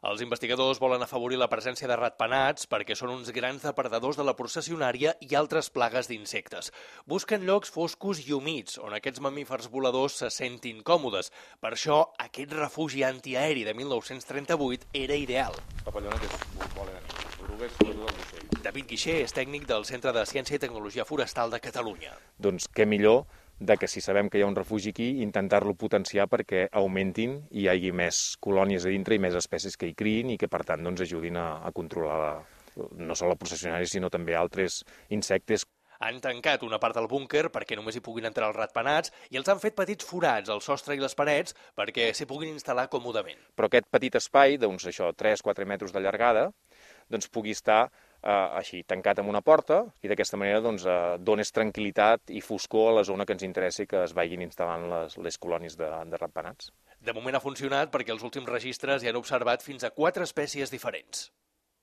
Els investigadors volen afavorir la presència de ratpenats perquè són uns grans depredadors de la processionària i altres plagues d'insectes. Busquen llocs foscos i humits, on aquests mamífers voladors se sentin còmodes. Per això, aquest refugi antiaeri de 1938 era ideal. Papallones volen erugues, sobretot els ocells. David Guixer és tècnic del Centre de Ciència i Tecnologia Forestal de Catalunya. Doncs què millor de que si sabem que hi ha un refugi aquí, intentar-lo potenciar perquè augmentin i hi hagi més colònies a dintre i més espècies que hi criïn i que, per tant, doncs, ajudin a controlar no sols la processionària, sinó també altres insectes. Han tancat una part del búnquer perquè només hi puguin entrar els ratpenats i els han fet petits forats al sostre i les parets perquè s'hi puguin instal·lar còmodament. Però aquest petit espai, d'uns 3-4 metres de llargada, doncs pugui estar així, tancat amb una porta, i d'aquesta manera doncs, dones tranquil·litat i foscor a la zona que ens interessa i que es vagin instal·lant les colònies de ratpenats. De moment ha funcionat perquè els últims registres hi han observat fins a 4 espècies diferents.